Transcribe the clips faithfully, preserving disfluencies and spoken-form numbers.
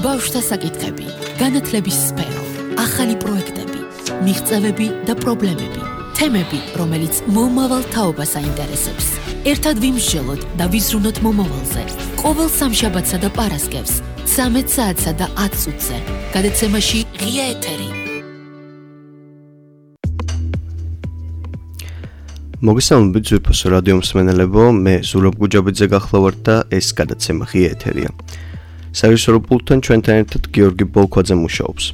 ბავშვთა საკითხები, განათლების სფერო, ახალი პროექტები, მიღწევები და პრობლემები, თემები, რომელიც მომავალ თაობას აინტერესებს. ერთად ვიმსჯელოთ და ვიზრუნოთ მომავალზე. ყოველ სამშაბათსა და პარასკევს, ცამეტ საათსა და ათ წუთზე. გადაცემაში ღია ეთერი. მოგესალმებით ზვირფასო რადიო მსმენელებო, მე ზურაბ გუჯაბიძე გახლავართ და ეს გადაცემა ღია ეთერია. საერთაშორისო პულტთან ჩვენთან ერთად გიორგი ბოლქვაძე მუშაობს.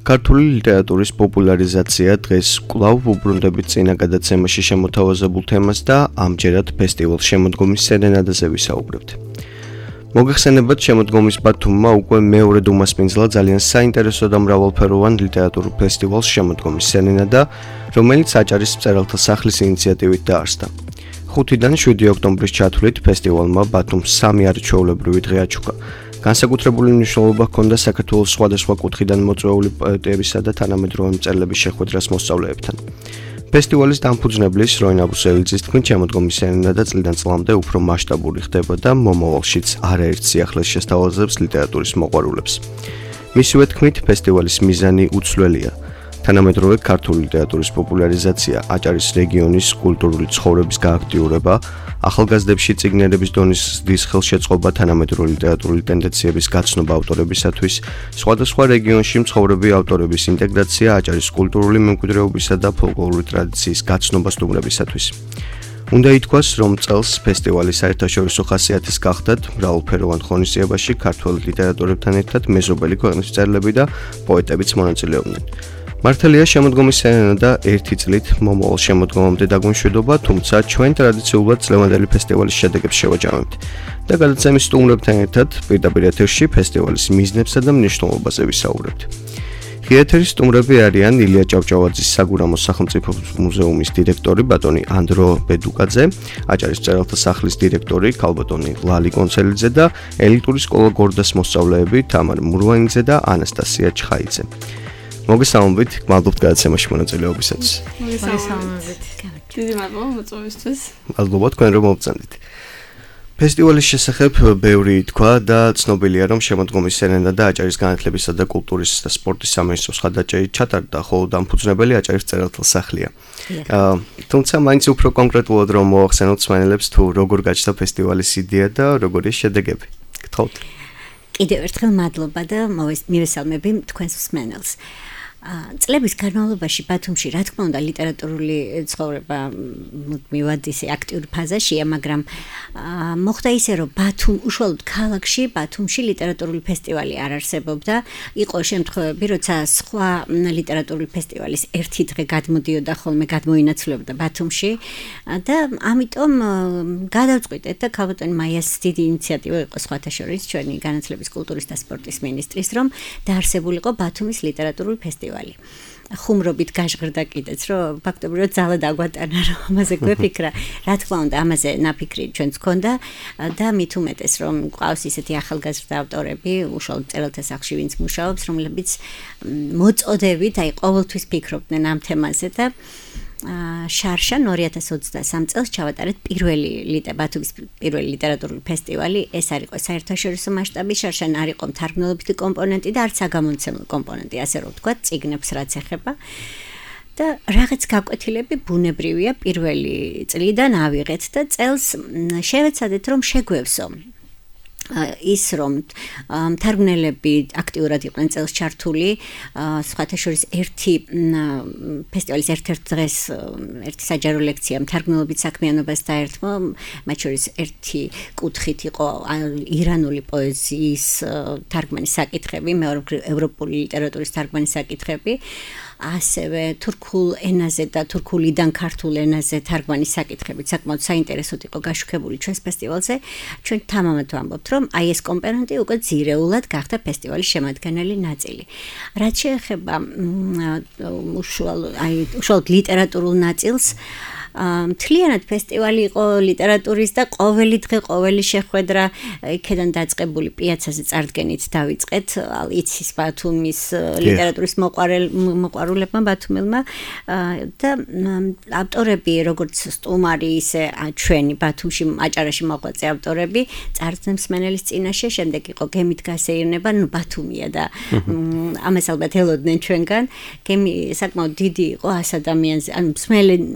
ქართული ლიტერატურის პოპულარიზაცია დღეს კვლავ უბრუნდებით წინა გადაცემაში შემოთავაზებულ თემას და ამჯერად ფესტივალ შემოდგომის სერენადაზე ვისაუბრებთ. მოგეხსენებათ, შემოდგომის ბათუმმა უკვე მეორედ უმასპინძლა ძალიან საინტერესო და მრავალფეროვან ლიტერატურულ ფესტივალს შემოდგომის სერენადა, რომელიც აჭარის მწერალთა სახლის ინიციატივით დაარსდა. ხუთიდან შვიდი ოქტომბრის ჩათვლით ფესტივალმა ბათუმს სამი არაჩვეულებრივი დღე აჩუქა. განსაკუთრებული მნიშვნელობა ჰქონდა საქართველოს სხვადასხვა კუთხიდან მოწვეული პოეტებისა და თანამედროვე მწერლების შეხვედრას მოსწავლეებთან. ფესტივალის დამფუძნებლის როინ აბუსელიძის თქმით, შემოდგომის სერენადა წლიდან წლამდე უფრო მასშტაბური ხდება და მომავალშიც არაერთ სიახლეს შესთავაზებს ლიტერატურის მოყვარულებს. მისივე თქმით, ფესტივალის მიზანი უცვლელია. თანამედროვე ქართული ლიტერატურის პოპულარიზაცია, აჭარის რეგიონის კულტურული ცხოვრების გააქტიურება, ახალგაზრდებში წიგნერების დონის ზრდის ხელშეწყობა, თანამედროვე ლიტერატურული ტენდენციების გაცნობა ავტორებისათვის, სხვადასხვა რეგიონში მცხოვრები ავტორების ინტეგრაცია, აჭარის კულტურული მემკვიდრეობისა და ფოლკლორული ტრადიციის გაცნობა სტუმრებისათვის. უნდა ითქვას, რომ წელს ფესტივალი საერთაშორისო ხასიათის გახდათ მრავალფეროვან ღონისძიებაში ქართველ ლიტერატორებთან ერთად მეზობელი ქვეყნის მწერლები და პოეტებიც მონაწილეობდნენ. მართალია, შემოდგომის სერენადა ერთი წლით მომავალ შემოდგომამდე დაგვიმშვიდობა, თუმცა ჩვენ ტრადიციულად წლევანდელი ფესტივალის შედეგებს შევაჯამებთ და გადაცემის სტუმრებთან ერთად პირდაპირ ეთერში ფესტივალის მიზნებსა და მნიშვნელობაზე ვისაუბრებთ. ღია ეთერის სტუმრები არიან ილია ჭავჭავაძის საგურამოს სახელმწიფო მუზეუმის დირექტორი ბატონი ანდრო ბედუკაძე, აჭარის მწერალთა სახლის დირექტორი ქალბატონი ლალი კონცელიძე და ელიტური სკოლა გორდას მოსწავლეები თამარ მურვანიძე და ანასტასია ჩხაიძე. მოგესალმებით, გმადლობთ გადაცემაში მონაწილეობისათვის. მოგესალმებით. დიდი მადლობა მოწვევისთვის. მადლობა თქვენ რომ მოვწანდით. ფესტივალის შესახებ ბევრი თქვა და ცნობილია, რომ შემოდგომის სერენადა აჭარის განათლებისა და კულტურის და სპორტის სამინისტროს ხარდაჭერით ჩატარდა, ხოლო დამფუძნებელი აჭარის მწერალთა სახლია. თუმცა მაინც უფრო კონკრეტულად რომ მოახსენოთ მსმენელებს თუ როგორ გაჩნდა ფესტივალის იდეა და როგორი შედეგები. გთხოვთ. კიდევ ერთხელ მადლობა და მივესალმები თქვენს მსმენელს. წლების განმავლობაში ბათუმში, რა თქმა უნდა, ლიტერატურული ცხოვრება მივად ისე აქტიური ფაზაშია, მაგრამ მოხდა ისე, რომ ბათუმ უშუალოდ ქალაქში, ბათუმში ლიტერატურული ფესტივალი არ არსებობდა. იყო შემთხვევები, როცა სხვა ლიტერატურული ფესტივალის ერთი დღე გადმოდიოდა ხოლმე, გადმოინაცვლებოდა ბათუმში და ამიტომ გადავწყვიტეთ და ქალბატონი მაიას დიდი ინიციატივა იყო სხვათა შორის ჩვენი განათლების, კულტურის და სპორტის მინისტრის, რომ დაარსებულიყო ბათუმის ლიტერატურული ფესტივალი. ხუმრობით გაჟღერდა კიდეც, რომ ფაქტობრივად ძალა დაგვატანა, რომ ამაზე გვეფიქრა. რა თქმა უნდა, ამაზე ნაფიქრი ჩვენც ჰქონდა და მით უმეტეს, რომ გვყავს ისეთი ახალგაზრდა ავტორები, უშუალოდ მწერალთა სახლში, ვინც მუშაობს, რომლებიც მოწოდებით, აი ყოველთვის ფიქრობდნენ ამ თემაზე და შარშან ორი ათას ოცდასამ წელს ჩავატარეთ პირველი ბათუმის პირველი ლიტერატურული ფესტივალი. ეს არ იყო საერთაშორისო მასშტაბის, შარშან არ იყო მთარგმნელობითი კომპონენტი და არც საგამომცემლო კომპონენტი, ასე რომ ვთქვათ, წიგნებს რაც ეხება. და რაღაც გაკვეთილები ბუნებრივია პირველი წლიდან ავიღეთ და წელს შევეცადეთ, რომ შეგვევსო ის რომ მთარგმნელები აქტიურად იყვნენ წელს ჩართული, სხვათა შორის ერთი ფესტივალის ერთ-ერთ დღეს ერთი საჯარო ლექცია მთარგმნელობით საქმიანობას დაერთმო, მათ შორის ერთი კუთხით იყო ირანული პოეზიის თარგმანის საკითხები, მეორე ევროპული ლიტერატურის თარგმანის საკითხები. ასევე თურქულ ენაზე და თურქულიდან ქართულ ენაზე თარგმანის საკითხებით საკმაოდ საინტერესოდ იყო გაშუქებული ჩვენს ფესტივალზე. ჩვენ თამამად ვამბობთ, რომ აი ეს კომპონენტი უკვე ძირეულად გახდა ფესტივალის შემადგენელი ნაწილი. რაც შეეხება უშუალოდ აი უშუალოდ ლიტერატურულ ნაწილს, მთლიანად ფესტივალი იყო ლიტერატურის და ყოველი დღე ყოველი შეხვედრა იქიდან დაწყებული პიაცაზე წარდგენით დავიწყეთ იცის ბათუმის ლიტერატურის მოყვარულებმა ბათუმელმა და ავტორები როგორც სტუმარი ისე ჩვენი ბათუმში აჭარაში მოღვაწე ავტორები წარდგენ მსმენელის წინაშე შემდეგ იყო გემით გასეირნება ნუ ბათუმია და ამას ალბათ ელოდნენ ჩვენგან გემი საკმაოდ დიდი იყო ას ადამიანზე ანუ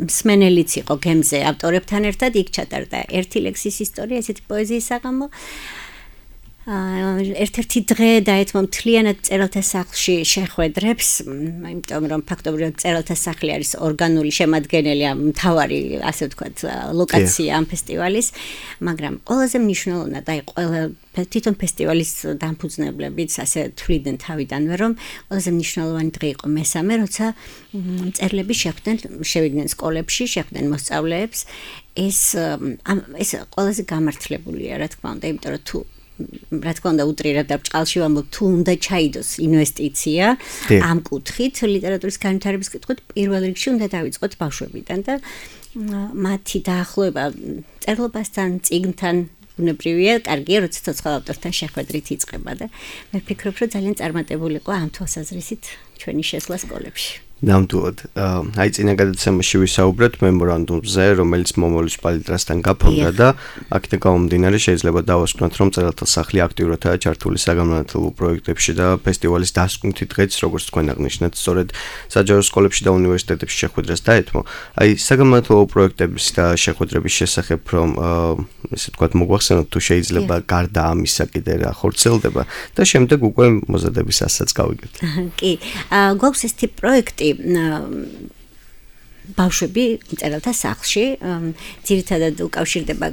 მსმენელიც იყო გემზე ავტორებთან ერთად იქ ჩატარდა ერთი ლექსის ისტორია ესეთი პოეზიის საღამო ერთ-ერთი დღე დაეთმო მთლიანად წერალთა სახლში შეხვედრებს, იმიტომ რომ ფაქტობრივად წერალთა სახლი არის ორგანული შემადგენელი, მთავარი, ასე ვთქვათ, ლოკაცია ამ ფესტივალის, მაგრამ ყველაზე მნიშვნელოვნად აი ყველა თვითონ ფესტივალის დამფუძნებლებიც ასე თვლიდნენ თავიდანვე, რომ ყველაზე მნიშვნელოვანი დღე იყო მესამე, როცა მწერლები შეხვდნენ, შევიდნენ სკოლებში, შეხვდნენ მოსწავლეებს, ეს ეს ყველაზე გამართლებულია, რა თქმა უნდა, იმიტომ რომ თუ რა თქმა უნდა უტრირებ და ბჭყალში ვამბობ თუ უნდა ჩაიდოს ინვესტიცია ამ კუთხით ლიტერატურის განვითარების კუთხით პირველ რიგში უნდა დავიწყოთ ბავშვებიდან და მათი დაახლოება წერლობასთან წიგნთან ბუნებრივია კარგია როცა ცოცხალ ავტორთან შეხვედრით იწყება და მე ვფიქრობ რომ ძალიან წარმატებული იყო ამ თვალსაზრისით ჩვენი შესვლა სკოლებში ნამდვილად აი წინა გადაცემაში ვისაუბრეთ მემორანდუმზე რომელიც მომავლის პალიტრასთან გაფორმდა და აქედან გამომდინარე შეიძლება დავასკვნოთ რომ წერალთა სახლი აქტიურადაა ჩართული საგანმანათლებლო პროექტებში და ფესტივალის დასკვნითი დღეც როგორც თქვენ აღნიშნეთ სწორედ საჯარო სკოლებში და უნივერსიტეტებში შეხვედრას დაეთმო აი საგანმანათლებლო პროექტების და შეხვედრების შესახებ რომ ესე ვთქვათ მოგვახსენოთ თუ შეიძლება გარდა ამისა კიდე რა ხორციელდება და შემდეგ უკვე მოზადებისასაც გავიგებთ კი გვაქვს ეს ტიპ პროექტი ბავშვები წერალთა სახლში ძირითადად უკავშირდება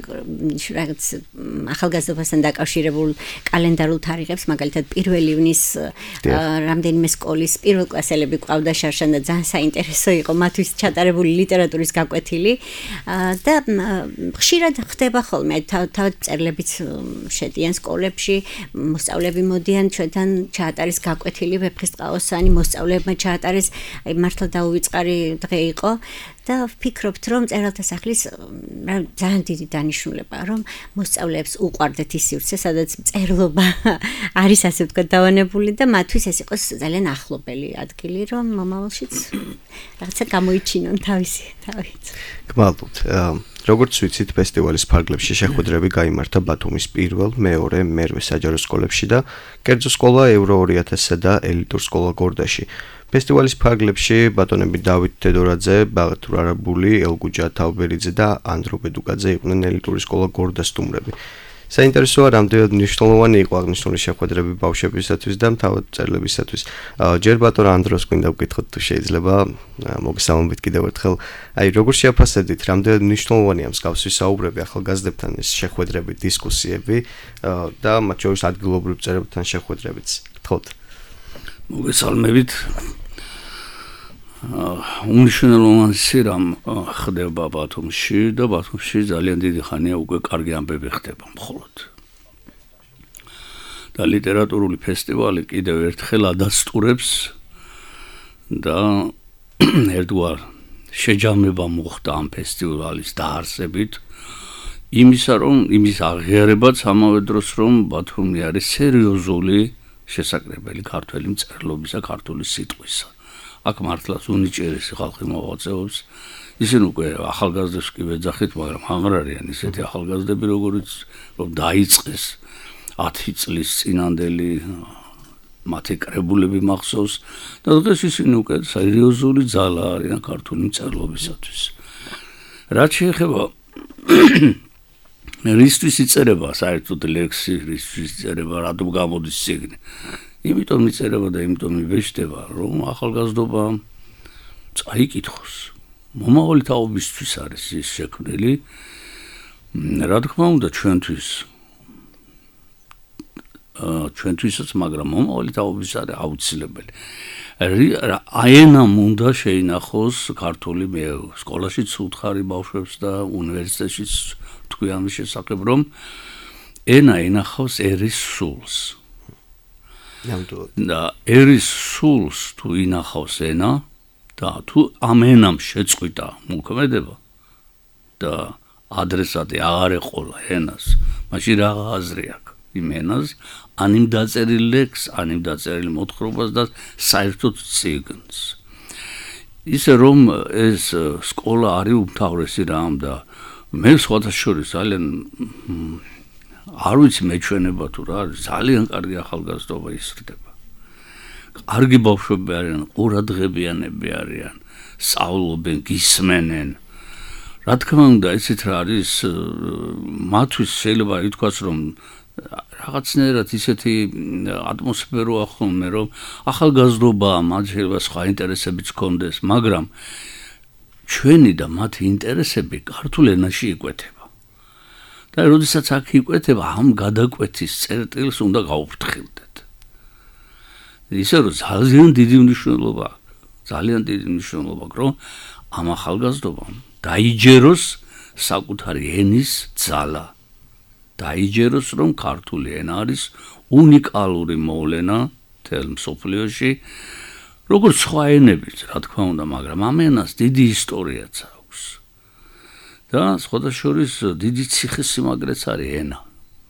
რაღაც ახალგაზრდობასთან დაკავშირებულ კალენდარულ თარიღებს მაგალითად პირველი ივნის რამდენიმე სკოლის პირველკლასელები ყავდა შარშან და ძალიან საინტერესო იყო მათთვის ჩატარებული ლიტერატურის გაკვეთილი და ხშირად ხდება ხოლმე თავად მწერლებიც შედიან სკოლებში მოსწავლეები მოდიან ჩვენთან ჩაატარეს გაკვეთილი ვეფხისტყაოსანი მოსწავლეებმა ჩაატარეს აი მართლა დაუვიწყარი დღე იყო და ვფიქრობთ რომ წერალთა სახლის ძალიან დიდი დანიშნულებაა რომ მოსწავლეებს უყვარდეთ ის სივრცე სადაც წერლობა არის ასე ვთქვათ დავანებული და მათთვის ეს იყოს ძალიან ახლობელი ადგილი რომ მომავალშიც რაღაცა გამოიჩინონ თავისი თავით გმადლობთ როგორც ვიცით ფესტივალის ფარგლებში შეხვედრები გაიმართა ბათუმის პირველ, მეორე, მერვე საჯარო სკოლებში და კერძო სკოლა ევრო ორი ათასსა და ელიტურ სკოლა გორდაში. ფესტივალის ფარგლებში ბატონები დავით თედორაძე, ბაღთურ არაბული, ელგუჯა თავბერიძე და ანდრო ბედუკაძე იყვნენ ელიტური სკოლა გორდას სტუმრები. საინტერესოა რამდენად მნიშვნელოვანი იყო აღნიშნული შეხვედრები ბავშვებისათვის და თავად მწერლებისათვის. ჯერ ბატონ ანდროს გვინდა ვკითხოთ თუ შეიძლება მოგესალმებით კიდევ ერთხელ. აი როგორ შეაფასებთ რამდენად მნიშვნელოვანია მსგავსი საუბრები ახალგაზრდებთან ეს შეხვედრები, დისკუსიები და მათ შორის ადგილობრივ მწერებთან შეხვედრებიც. გთხოვთ. მოგესალმებით. უმნიშვნელოვანესი რამ ხდება ბათუმში და ბათუმში ძალიან დიდი ხანია უკვე კარგი ამბები ხდება მხოლოდ. და ლიტერატურული ფესტივალი კიდევ ერთხელ ადასტურებს და ერთგვარ შეჯამება მოხდა ამ ფესტივალის დაარსებით იმისა რომ იმის აღიარებაც ამავე დროს რომ ბათუმი არის სერიოზული შესაძლებელი ქართველი მწერლობისა ქართული სიტყვისა. აქ მართლაც უნიჭიერესი ხალხი მოღვაწეობს. ისინი უკვე ახალგაზრდებს კი ვეძახით, მაგრამ აღარ არიან ისეთი ახალგაზრდები, როგორიც რომ დაიწყეს ათი წლის წინანდელი მათი კრებულები მახსოვს და დღეს ისინი უკვე სერიოზული ძალა არიან ქართული მწერლობისათვის. რაც შეეხება რისთვის იწერება საერთოდ ლექსი, რისთვის იწერება, რატომ გამოდის წიგნი. იმიტომ იწერება და იმიტომ იბეჭდება, რომ ახალგაზრდობა წაიკითხოს. მომავალი თაობისთვის არის ის შექმნილი. რა თქმა უნდა ჩვენთვის ჩვენთვისაც, მაგრამ მომავალი თაობის არის აუცილებელი. აენამ უნდა შეინახოს ქართული მე სკოლაშიც უთხარი ბავშვებს და უნივერსიტეტშიც თქვი ამის შესახებ, რომ ენა ენახავს ერის სულს. და ერის სულს თუ ინახავს ენა და თუ ამ ენამ შეწყვიტა მოქმედება, და ადრესატი აღარ ეყოლა ენას, მაშინ რა აზრი აქვს იმ ენას, ან იმ დაწერილ ლექსს, ან იმ დაწერილ მოთხრობას და საერთოდ წიგნს. ისე რომ ეს სკოლა არის უმთავრესი რამ და მე სხვადასხვა ძალიან არ ვიცი მეჩვენება თუ რა არის, ძალიან კარგი ახალგაზრდობა ისრდება. კარგი ბავშვები არიან, ყურადღებიანები არიან, სწავლობენ, გისმენენ. რა თქმა უნდა, ესეც რა არის, მათთვის შეიძლება ითქვას, რომ რაღაცნაირად ისეთი ატმოსფერო ახონმე, რომ ახალგაზრდობაა, მათ შეიძლება სხვა ინტერესებიც ჰქონდეს, მაგრამ ჩვენი და მათი ინტერესები ქართულ ენაში იკვეთება. და როდესაც აქ იკვეთება, ამ გადაკვეთის წერტილს უნდა გაუფრთხილდეთ. ისე რომ ძალიან დიდი მნიშვნელობა აქვს, ძალიან დიდი მნიშვნელობა აქვს, რომ ამ ახალგაზრდობამ დაიჯეროს საკუთარი ენის ძალა. დაიჯეროს, რომ ქართული ენა არის უნიკალური მოვლენა მთელ მსოფლიოში, როგორც სხვა ენებიც, რა თქმა უნდა, მაგრამ ამ ენას დიდი ისტორიაც აქვს. და სხვადასხვის დიდი ციხესიმაგრეც არის ენა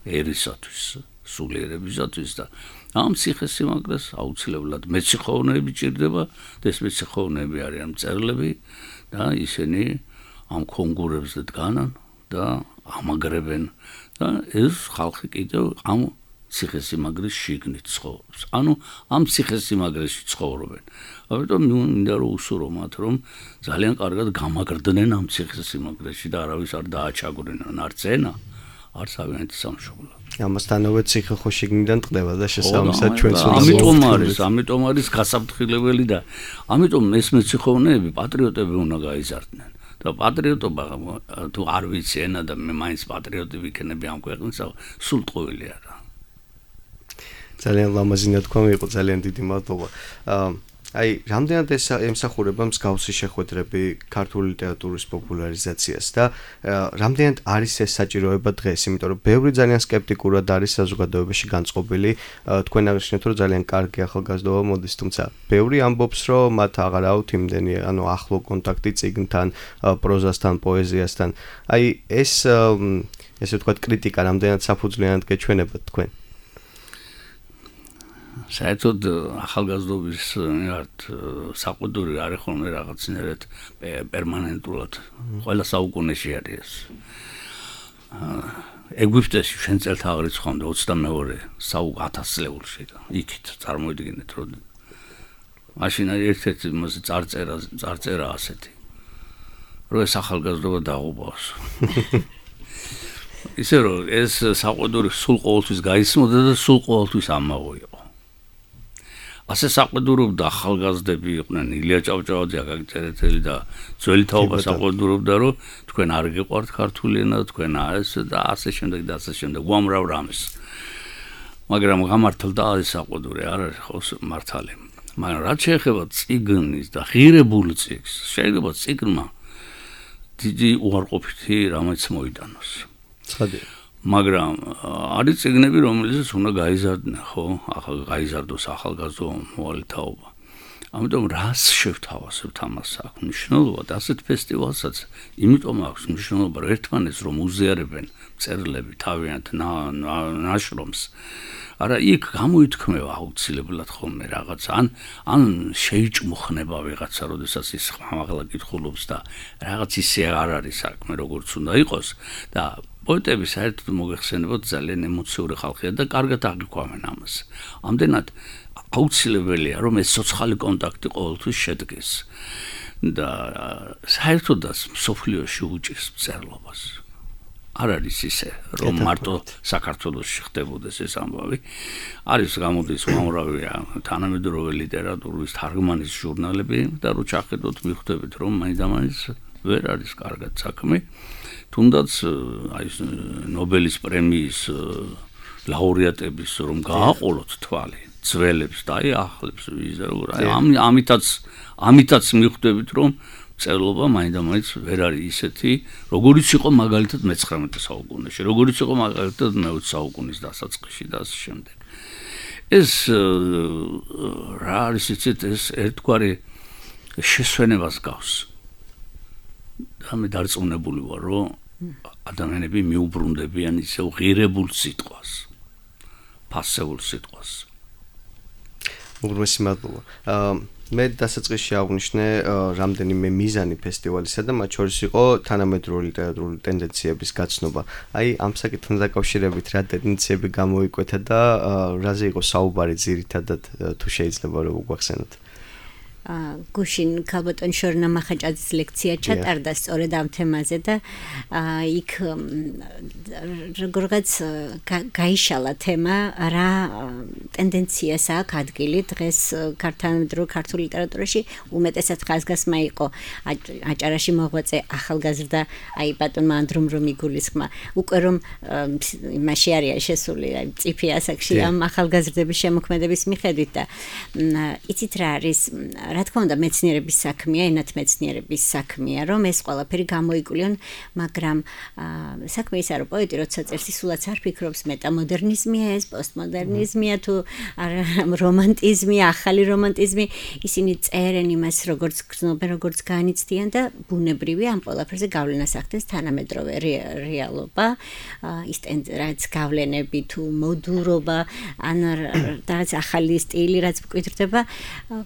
ერისათვის, სულიერებისათვის და ამ ციხესიმაგრეს აუცილებლად მეციხოვნეები ჭირდება და ეს მეციხოვნეები არიან მწერლები და ისინი ამ კონკურსებზე დგანან და ამაგრებენ და ეს ხალხი კიდევ ამ ციხესიმაგრის შიგნით ცხოვრობს. ანუ ამ ციხესიმაგრეში ცხოვრობენ. ამიტომ მინდა რომ უსურო მათ, რომ ძალიან კარგად გამაგრდნენ ამ ციხესიმაგრეში და არავის არ დააჩაგვრინონ არც ენა, არც ავიანთი სამშობლო. ამასთანავე ციხე ხო შიგნიდან ტყდება და შესაბამისად ჩვენც უნდა ამიტომ არის, ამიტომ არის გასაფრთხილებელი და ამიტომ ეს მეციხოვნეები პატრიოტები უნდა გაიზარდნენ. და პატრიოტობა თუ არ ვიცი ენა და მე მაინც პატრიოტი ვიქნები ამ ქვეყნისა, სულტყუილი არა. ძალიან ლამაზი ნათქვა იყო, ძალიან დიდი მადლობა. აი, რამდენად ეს ემსახურება მსგავსი შეხვედრები ქართული ლიტერატურის პოპულარიზაციას და რამდენად არის ეს საჭიროება დღეს, იმიტომ რომ ბევრი ძალიან სკეპტიკურად არის საზოგადოებაში განწყობილი, თქვენ აღნიშნეთ, რომ ძალიან კარგი ახალგაზრდობა მოდის, თუმცა ბევრი ამბობს, რომ მათ აღარ აქვთ იმდენი, ანუ ახლო კონტაქტი წიგნთან, პროზასთან, პოეზიასთან. აი, ეს ესე ვთქვათ, კრიტიკა რამდენად საფუძვლიანად გეჩვენებათ თქვენ? საერთოდ ახალგაზრდობის საყუდური არის ხოლმე რაღაცნაირად პერმანენტულად ყველა საუკუნეში არის. ეგვიპტეში ჩვენ წელთაღრიც ხონდა ოცდამეორე ათასწლეულში და იქით წარმოიდგინეთ, რომ მაშინ ერთ-ერთი მოსი წარწერა წარწერა ასეთი, რომ ეს ახალგაზრდობა დაღუპავს. ისე რომ ეს საყუდური სულ ყოველთვის გაისმოდა და სულ ყოველთვის ამაოიყო. ასე საყედურობდა ახალგაზრდები იყვნენ ილია ჭავჭავაძე, აკაკი წერეთელი და ძველი თაობა საყედურობდა, რომ თქვენ არ გიყვართ ქართული ენა, თქვენ ეს და ასე შემდეგ და ასე შემდეგ უამრავ რამეს. მაგრამ გამართლდა ეს საყედური არ არის ხო მართალი. მაგრამ რაც შეეხება წიგნის და ღირებულ წიგნს, შეიძლება წიგნმა დიდი უარყოფითი რამაც მოიტანოს. ცხადია. მაგრამ არის წიგნები, რომელსაც უნდა გაიზარდნე, ხო? ახალ გაიზარდოს ახალგაზრდა მოვალეთაობა. ამიტომ რას შევთავაზებთ ამას აქვს მნიშვნელობა და ასეთ ფესტივალსაც იმიტომ აქვს მნიშვნელობა, რომ ერთმანეთს რომ უზიარებენ მწერლები თავიანთ ნაშრომს. არა იქ გამოითქმევა აუცილებლად ხოლმე რაღაც ან ან შეიჭმუხნება ვიღაცა, როდესაც ის ხმამაღლა კითხულობს და რაღაც ისე არ არის საქმე, როგორც უნდა იყოს და პოეტები საერთოდ მოგეხსენებათ ძალიან ემოციური ხალხია და კარგად აღიქვამენ ამას. ამდენად აუცილებელია რომ ეს სოციალური კონტაქტი ყოველთვის შედგეს და საერთოდაც მსოფლიოში უჭირს მწერლობას. არ არის ისე რომ მარტო საქართველოში ხდებოდეს ეს ამბავი. არის გამოდის უამრავი თანამედროვე ლიტერატურის თარგმანის ჟურნალები და რო ჩახედოთ მიხვდებით რომ მაინდამაინც ვერ არის კარგად საქმე. თუნდაც აი ნობელის პრემიის ლაურეატების რომ გააყოლოთ თვალი ძველებს და აი ახლებს ვიზა როგორ აი ამითაც ამითაც მიხვდებით რომ წერლობა მაინდამაინც ვერ არის ისეთი როგორიც იყო მაგალითად მეცხრამეტე საუკუნეში, როგორიც იყო მაგალითად მეოცე საუკუნის დასაწყისში და ასე შემდეგ. ეს რა არის იცით ეს ერთგვარი შესვენებას გავს. და მე დარწმუნებული ვარ, რომ ადამიანები მიუბრუნდებიან ისევ ღირებულ სიტყვას, ფასეულ სიტყვას. უგრმესი მადლობა. მე დასაწყისში აღვნიშნე რამდენიმე მიზანი ფესტივალისა და მათ შორის იყო თანამედროვე ლიტერატურული ტენდენციების გაცნობა. აი ამ საკითხთან დაკავშირებით რა ტენდენციები გამოიკვეთა და რაზე იყო საუბარი ძირითადად თუ შეიძლება რომ უგვახსენოთ. გუშინ ქალბატონ შორნა მახაჭაძის ლექცია ჩატარდა სწორედ ამ თემაზე და იქ როგორღაც გაიშალა თემა რა ტენდენციას აქვს ადგილი დღეს ქართულ ქართულ ლიტერატურაში უმეტესად ხაზგასმა იყო აჭარაში მოღვაწე ახალგაზრდა აი ბატონმა ანდრომ რომ იგულისხმა უკვე რომ იმაში არის შესული აი წიფი ასაკში ამ ახალგაზრდების შემოქმედების მიხედვით და იცით რა არის რა თქმა უნდა მეცნიერების საქმეა, ენათმეცნიერების საქმეა, რომ ეს ყველაფერი გამოიკულიონ, მაგრამ საქმე ისაა, რომ პოეტი როცა წერს, სულაც არ ფიქრობს მეტამოდერნიზმია ეს, პოსტმოდერნიზმია თუ რომანტიზმია, ახალი რომანტიზმი, ისინი წერენ იმას, როგორც გრძნობენ, როგორც განიცდიან და ბუნებრივია ამ ყველაფერზე გავლენას ახდენს თანამედროვე რეალობა, ის რაც გავლენები თუ მოდურობა, ან რაღაც ახალი სტილი, რაც მკვიდრდება,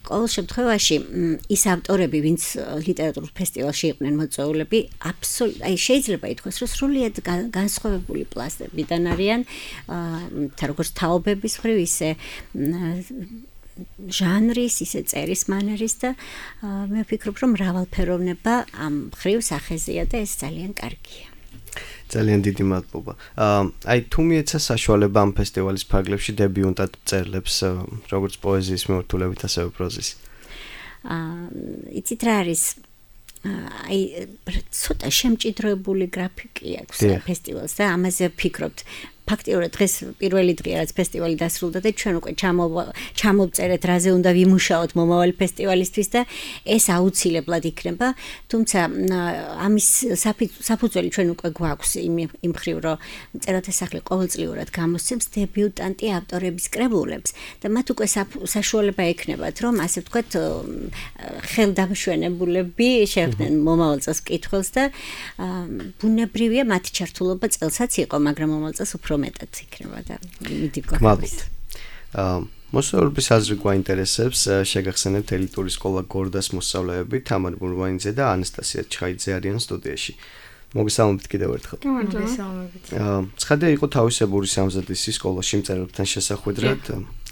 ყოველ შემთხვევაში ის ავტორები, ვინც ლიტერატურულ ფესტივალში იყვნენ მოწვეულები, აბსოლუტურად, აი შეიძლება ითქვას, რომ სრულიად განსხვავებული პლასტებიდან არიან, როგორც თაობების მხრივ, ისე ჟანრის, ისე წერის მანერის და მე ვფიქრობ, რომ მრავალფეროვნება ამ მხრივ სახეზეა და ეს ძალიან კარგია. ძალიან დიდი მადლობა. აი თუ მიეცა საშუალება ამ ფესტივალის ფარგლებში დებიუტად წერლებს, როგორც პოეზიის მიმართულებით, ასევე პროზის. იცით რა არის აი ცოტა შემჭიდროებული გრაფიკი აქვს ფესტივალს და ამაზე ვფიქრობთ. ფაქტიურად დღეს პირველი დღეა რაც ფესტივალი დასრულდა და ჩვენ უკვე ჩამოვწერეთ რაზე უნდა ვიმუშაოთ მომავალი ფესტივალისთვის და ეს აუცილებლად იქნება, თუმცა ამის საფუძველი ჩვენ უკვე გვაქვს იმ მხრივ, რომ წერათესახლი ყოველწლიურად გამოსცემს დებიუტანტი ავტორების კრებულებს და მათ უკვე საშუალება ექნებათ, რომ ასე ვთქვათ ხელდამშვენებულები შეეხდნენ მომავალ წელს მკითხველს და ბუნებრივია მათი ჩართულობა წელსაც იყო, მაგრამ მომავალ წელს უფრო მეტად იქნება და მიდი გვაქვს. აა მოსწავლეების აზრი გვაინტერესებს, შეგახსენებთ ელიტური სკოლა გორდას მოსწავლეები თამარ ბურბანიძე და ანასტასია ჩხაიძე არიან სტუდიაში. მოგესალმებით კიდევ ერთხელ. მოგესალმებით. აა ცხადია იყო თავისებური სამზადისი სკოლაში მწერლებთან შესახვედრად.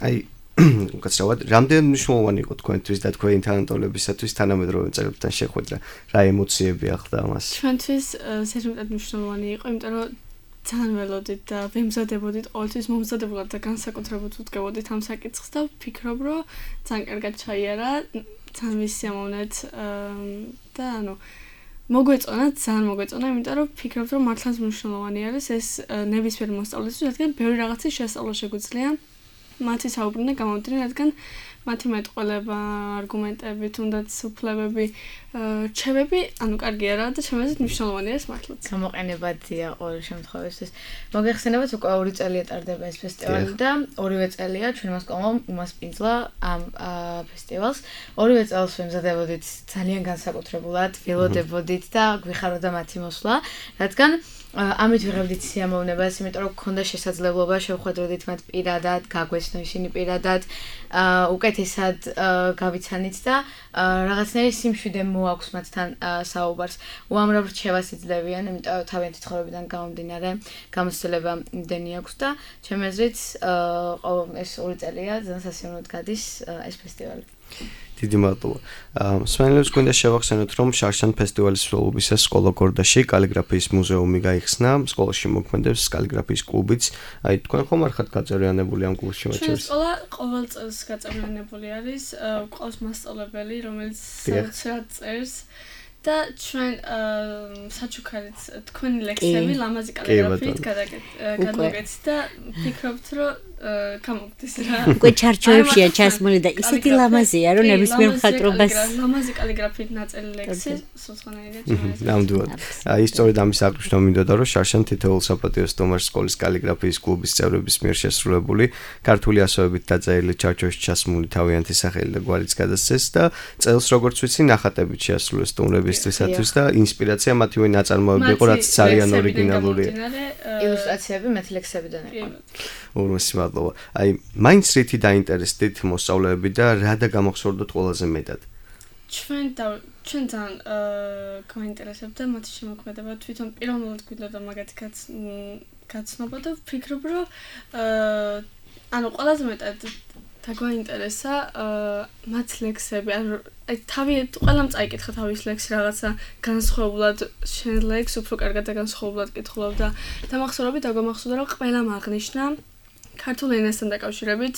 აი უკაცრავად, რამდენი მნიშვნელოვანი იყო თქვენთვის და თქვენი თანატოლებისათვის თანამედროვე მწერლებთან შეხვედრა? რა ემოციები ახლდა ამას? ჩვენთვის ზედმეტად მნიშვნელოვანი იყო, იმიტომ რომ ძალიან ველოდით და ვემზადებოდით ყოველთვის მომზადებულად და განსაკუთრებულად ვუდგებოდით ამ საკითხს და ვფიქრობ, რომ ძალიან კარგად ჩაიარა, ძალიან ვისიამოვნეთ და ანუ მოგვეწონა, ძალიან მოგვეწონა, იმიტომ რომ ვფიქრობ, რომ მართლაც მნიშვნელოვანი არის ეს ნებისმიერ მოსწავლისთვის, რადგან ბევრი რაღაცის შესწავლა შეგვიძლია მათი საუბრიდან გამომდინარე, რადგან მათი მეტყველება, არგუმენტები, თუნდაც უფლებები, რჩევები, ანუ კარგია რა და შემეძლეთ მნიშვნელოვანია ეს მართლაც. გამოყენებადია ყოველ შემთხვევაში. მოგეხსენებათ უკვე ორი წელია ტარდება ეს ფესტივალი და ორივე წელია ჩვენმა სკოლამ უმასპინძლა ამ ფესტივალს. ორივე წელს ვემზადებოდით ძალიან განსაკუთრებულად, ველოდებოდით და გვიხაროდა მათი მოსვლა, რადგან ამით ვიღებდით სიამოვნებას, იმიტომ რომ გქონდა შესაძლებლობა შევხვედროდით მათ პირადად, გაგვეცნო ისინი პირადად, უკეთესად გავიცანით და რაღაცნაირი სიმშვიდე მოაქვს მათთან საუბარს. უამრავ რჩევას იძლევიან, იმიტომ რომ თავიანთი ცხოვრებიდან გამომდინარე გამოცდილება იმდენი აქვს და ჩემი აზრით ეს ორი წელია ძალიან სასიამოვნოდ გადის ეს ფესტივალი. დიდი მადლობა. მსმენელებს გვინდა შევახსენოთ, რომ შარშან ფესტივალის მსვლელობისას სკოლა გორდაში კალიგრაფიის მუზეუმი გაიხსნა, სკოლაში მოქმედებს კალიგრაფიის კლუბიც. აი თქვენ ხომ არ ხართ გაწევრიანებული ამ კლუბში მათ შორის? ჩვენ სკოლა ყოველ წელს გაწევრიანებული არის, ყავს მასწავლებელი, რომელიც საოცრად წერს და ჩვენ საჩუქარით თქვენი ლექსები ლამაზი კალიგრაფიით გადმოგეცით და ვფიქრობთ, რომ გამოგდის რა. უკვე ჩარჩოებშია ჩასმული და ისეთი ლამაზია, რომ ნებისმიერ მხატვრობას ლამაზი კალიგრაფიით ნაწილი ლექსი, სოცხანაირია ჩემს. ნამდვილად. აი სწორედ ამის აღნიშნა მინდოდა, რომ შარშან თითოეულ საპატიო სტუმარს სკოლის კალიგრაფიის კლუბის წევრების მიერ შესრულებული ქართული ასოებით დაწერილი ჩარჩოებში ჩასმული თავიანთი სახელი და გვარიც გადასცეს და წელს როგორც ვიცი ნახატებით შეასრულეს სტუმრებისთვისაც და ინსპირაცია მათივე ნაწარმოები იყო, რაც ძალიან ორიგინალურია. ილუსტრაციები მათი ლექსებიდან იყო. ურმესი მადლობა. აი, მაინც რითი დაინტერესდით მოსწავლეები და რა და გამოხსოვდოთ ყველაზე მეტად? ჩვენ და ჩვენთან გაინტერესებდა მათი შემოქმედება, თვითონ პიროვნულად გვიდოდა მაგათი გაცნობა და ვფიქრობ, რომ ანუ ყველაზე მეტად დაგვაინტერესა მათ ლექსები, ანუ აი თავი ყველამ წაიკითხა თავის ლექსი რაღაცა განსხვავებულად შენ ლექს უფრო კარგად და განსხვავებულად კითხულობ და დამახსოვრებით დაგვამახსოვდა რომ ყველამ აღნიშნა ქართულ ენასთან დაკავშირებით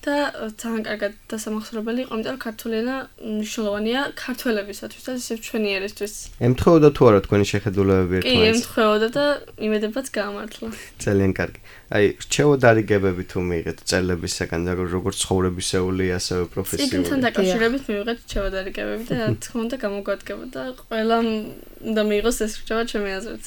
და ძალიან კარგად დასამახსოვრებელი იყო, იმიტომ რომ ქართული ენა მნიშვნელოვანია ქართველებისათვის და ისევ ჩვენი ერისთვის. ემთხვეოდა თუ არა თქვენი შეხედულებები ერთმანეთს? კი, ემთხვეოდა და იმედებაც გაამართლა. ძალიან კარგი. აი, რჩევა დარიგებები თუ მიიღეთ წერლებისაგან და როგორც ცხოვრებისეული, ასევე პროფესიული. წიგნთან დაკავშირებით მივიღეთ რჩევა დარიგებები და რა თქმა უნდა გამოგვადგებოდა ყველამ უნდა მიიღოს ეს რჩევა ჩემი აზრით.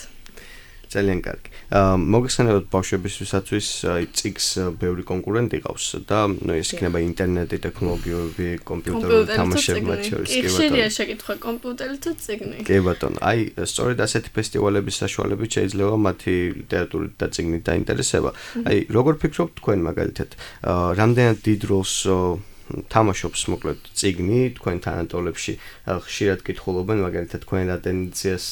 ძალიან კარგი. აა მოგეხსენებათ ბავშვებისთვისაც აი წიგს ბევრი კონკურენტი ყავს და ნუ ეს იქნება ინტერნეტი, ტექნოლოგიები, კომპიუტერული თამაშები მათ შორის კი ბატონო. ხშირია შეკითხვა კომპიუტერი თუ წიგნი. კი ბატონო. აი სწორედ ასეთი ფესტივალების საშუალებით შეიძლება მათი ლიტერატურით და წიგნით დაინტერესება. აი როგორ ფიქრობთ თქვენ მაგალითად, აა რამდენად დიდ როლს თამაშობს მოკლედ წიგნი თქვენ თანატოლებში ხშირად კითხულობენ მაგალითად თქვენ რა ტენდენციას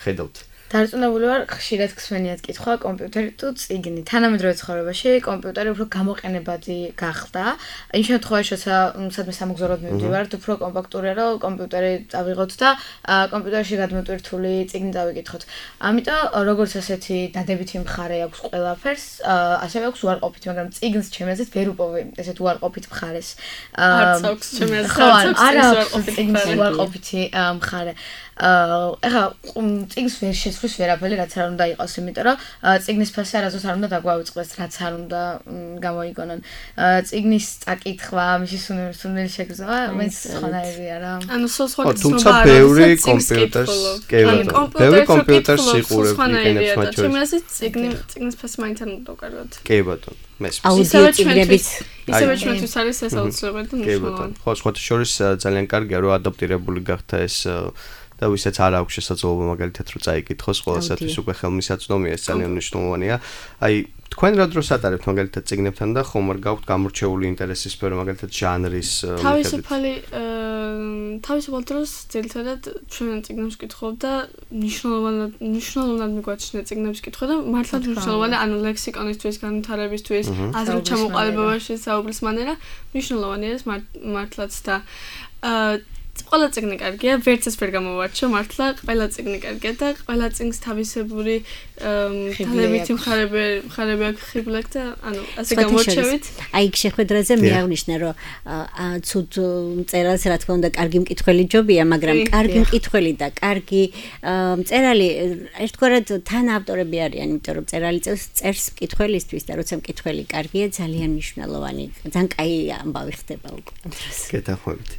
ხედავთ? დარწმუნებული ვარ, ხშირად გსმენიათ კითხვა კომპიუტერი თუ წიგნი. თანამედროვე ცხოვრებაში კომპიუტერი უფრო გამოყენებადი გახდა. იმ შემთხვევაში, როცა სადმე სამოგზაუროდ მივდივართ, უფრო კომპაქტურია, რომ კომპიუტერი წავიღოთ და კომპიუტერში გადმოტვირთული წიგნი წავიკითხოთ. ამიტომ როგორც ასეთი დადებითი მხარე აქვს ყველაფერს, ასევე აქვს უარყოფითი, მაგრამ წიგნს ჩემი აზრით ვერ უპოვე ესეთ უარყოფით მხარეს. არც აქვს ჩემი აზრით, არა წიგნის უარყოფითი მხარე. ეხლა წიგნს ვერ შეცვლის ვერაფერი რაც არ უნდა იყოს, იმიტომ რომ წიგნის ფასი არასდროს არ უნდა დაგვაუწყდეს, რაც არ უნდა გამოიგონონ. წიგნის წაკითხვა, მისი სუნელი შეგრძნება, მეც სხვანაირია რა. ანუ სხვა თუმცა ბევრი კომპიუტერს, კი ბატონო, ბევრი კომპიუტერს იყურებ იყენებს მათ შორის. ჩემი აზრით წიგნი წიგნის ფასი მაინც არ უნდა დავკარგოთ. კი ბატონო, მესმის. ისევე ჩვენთვის ისევე ჩვენთვის არის ეს აუცილებელი და მნიშვნელოვანი. ხო, სხვა შორის ძალიან კარგია რომ ადაპტირებული გახდა ეს და ვისაც არ აქვს შესაძლებლობა მაგალითად რომ წაიკითხოს, ყველასათვის უკვე ხელმისაწვდომია, ეს ძალიან მნიშვნელოვანია. აი, თქვენ რა დროს ატარებთ მაგალითად წიგნებთან და ხომ არ გაქვთ გამორჩეული ინტერესის სფერო მაგალითად ჟანრის მიხედვით? თავისუფალი თავისუფალ დროს ძირითადად ჩვენ წიგნებს ვკითხულობ და მნიშვნელოვნად მნიშვნელოვნად მიგვაჩნია წიგნების კითხვა და მართლაც მნიშვნელოვანია, ანუ ლექსიკონისთვის, განვითარებისთვის, აზრით ჩამოყალიბებაში, საუბრის მანერა მნიშვნელოვანია ეს მართლაც და ყველა წიგნი კარგია, ვერც ეს ვერ გამოვარჩიო, მართლა ყველა წიგნი კარგია და ყველა წიგნს თავისებური თანებითი მხარები მხარები აქვს ხიბლაკ და ანუ ასე გამორჩევით. აი შეხვედრაზე მე აღნიშნა, რომ ცუდ მწერალს რა თქმა უნდა კარგი მკითხველი ჯობია, მაგრამ კარგი მკითხველი და კარგი მწერალი ერთგვარად თან ავტორები არიან, იმიტომ რომ მწერალი წერს მკითხველისთვის და როცა მკითხველი კარგია, ძალიან მნიშვნელოვანი, ძალიან კაი ამბავი ხდება უკვე დროს. გეთანხმებით.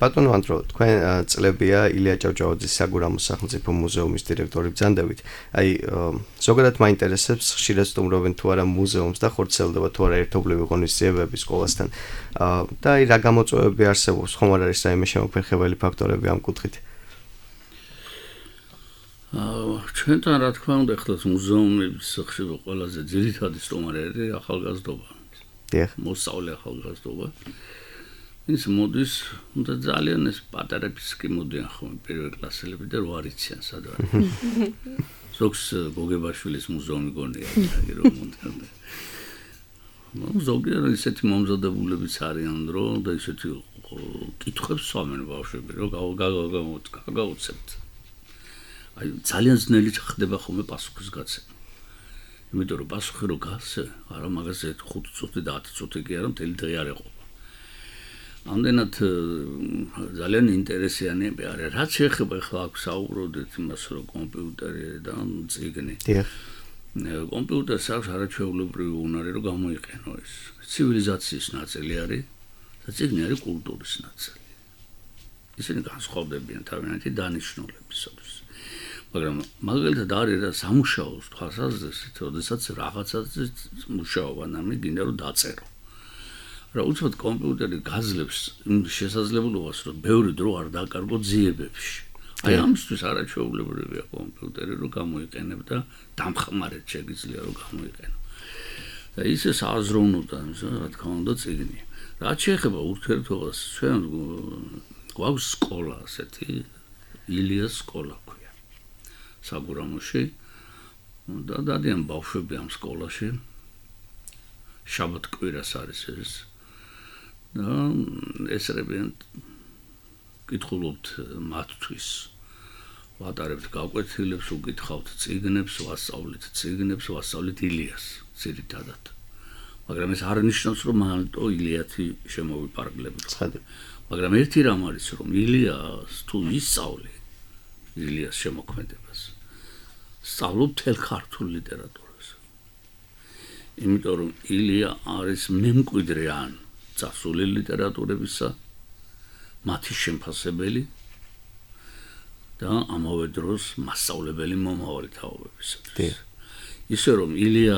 ბატონო ანდრო, თქვენ წლებია ილია ჭავჭავაძის საგურამოს სახელმწიფო მუზეუმის დირექტორი ბრძანდებით. აი, ზოგადად მაინტერესებს, ხშირად სტუმრობენ თუ არა მუზეუმს და ხორციელდება თუ არა ერთობლივი ღონისძიებები სკოლასთან. და აი, რა გამოწვევები არსებობს, ხომ არ არის რაიმე შემოფერხებელი ფაქტორები ამ კუთხით? ჩვენთან რა თქმა უნდა, ახლაც მუზეუმების ხშირი ყველაზე ძირითადი სტუმარები ახალგაზრდობა. დიახ. მოსწავლე ახალგაზრდობა. ის მოდის და ძალიან ეს პატარების კი მოდიან ხოლმე პირველ კლასელები და რო არიციან სად არის. ზოგს გოგებაშვილის მუზეუმი გონია, რომ მომდან. ნუ ზოგიერთ ისეთი მომზადებულებიც არიან დრო და ისეთი კითხებს სვამენ ბავშვები, რომ გავუცებთ. აი ძალიან ძნელი ხდება ხოლმე პასუხის გაცემა. იმიტომ რომ პასუხი რო გასცე, არა მაგაზე ხუთი წუთი და ათი წუთი კი არა, მთელი დღე არ ეყო. ამდენად ძალიან ინტერესიანია არის. რაც შეეხება ახლა აქ საუბრობდით იმას, რომ კომპიუტერი და წიგნი. დიახ. კომპიუტერს აქვს არაჩვეულებრივი უნარი, რომ გამოიყენო ეს. ცივილიზაციის ნაწილი არის და წიგნი არის კულტურის ნაწილი. ისინი განსხვავდებიან თავიანთი დანიშნულებისათვის. მაგრამ მაგალითად არის რა სამუშაოს თვალსაზრისით, როდესაც რაღაცაზე მუშაობა, ნამი გინდა რომ დაწერო. რა უცბად კომპიუტერი გაძლევს შესაძლებლობას, რომ ბევრი დრო არ დაკარგო ძიებებში. აი ამისთვის არაჩვეულებრივია კომპიუტერი, რომ გამოიყენებ და დამხმარეთ შეგიძლია რომ გამოიყენო. და ისე სააზროვნოა, რა თქმა უნდა, წიგნი. რაც შეეხება ურთიერთობას, ჩვენ გვაქვს სკოლა, ასეთი ილიას სკოლა ქვია. საგურამოში და დადიან ბავშვები ამ სკოლაში. შაბათ-კვირას არის ეს. და ესრებიან კითხულობთ მათთვის. ვატარებთ გაკვეთილებს, უკითხავთ წიგნებს, ვასწავლეთ წიგნებს, ვასწავლეთ ილიას ძირითადად. მაგრამ ეს არ ნიშნავს, რომ მარტო ილიათი შემოვიპარგლებით. მაგრამ ერთი რამ არის, რომ ილიას თუ ისწავლე ილიას შემოქმედებას, სწავლობ მთელ ქართულ ლიტერატურას. იმიტომ რომ ილია არის მემკვიდრე ან წასული ლიტერატურებისა, მათი შემფასებელი და ამავე დროს მასწავლებელი მომავალი თაობებისათვის. ისე რომ ილია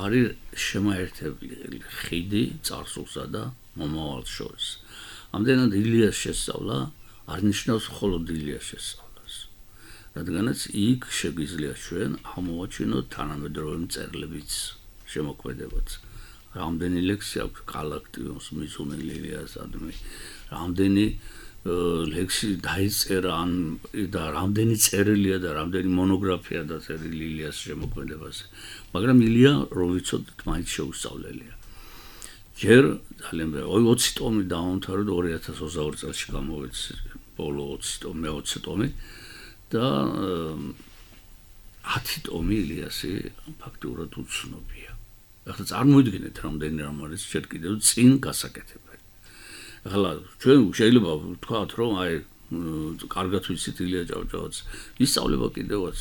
არის შემაერთებელი ხიდი წარსულსა და მომავალს შორის. ამდენად ილიას შესწავლა არ ნიშნავს მხოლოდ ილიას შესწავლას. რადგანაც იქ შეგვიძლია ჩვენ ამოვაჩინოთ თანამედროვე მწერლებიც შემოქმედებაც. რამდენი ლექსი აქვს კალაქტიონს მიზუნელი ილიასადმი, რამდენი ლექსი დაიწერა ან და რამდენი წერილია და რამდენი მონოგრაფია დაწერილი ილიას შემოქმედებაზე. მაგრამ ილია რომ ვიცოდეთ მაინც შეუსწავლელია. ჯერ ძალიან ოცი ტომი დაამთავრა და ორი ათას ოცდაორი წელს გამოვეცი ბოლო ოცი ტომი, მეოცე ტომი და ათი ტომი ილიასი ფაქტურად უცნობია. ახლა წარმოიდგინეთ რამდენი რამ არის ჯერ კიდევ წინ გასაკეთებელი. ახლა ჩვენ შეიძლება ვთქვათ რომ აი კარგად ვიცით ილია ჭავჭავაძე ისწავლება კიდევაც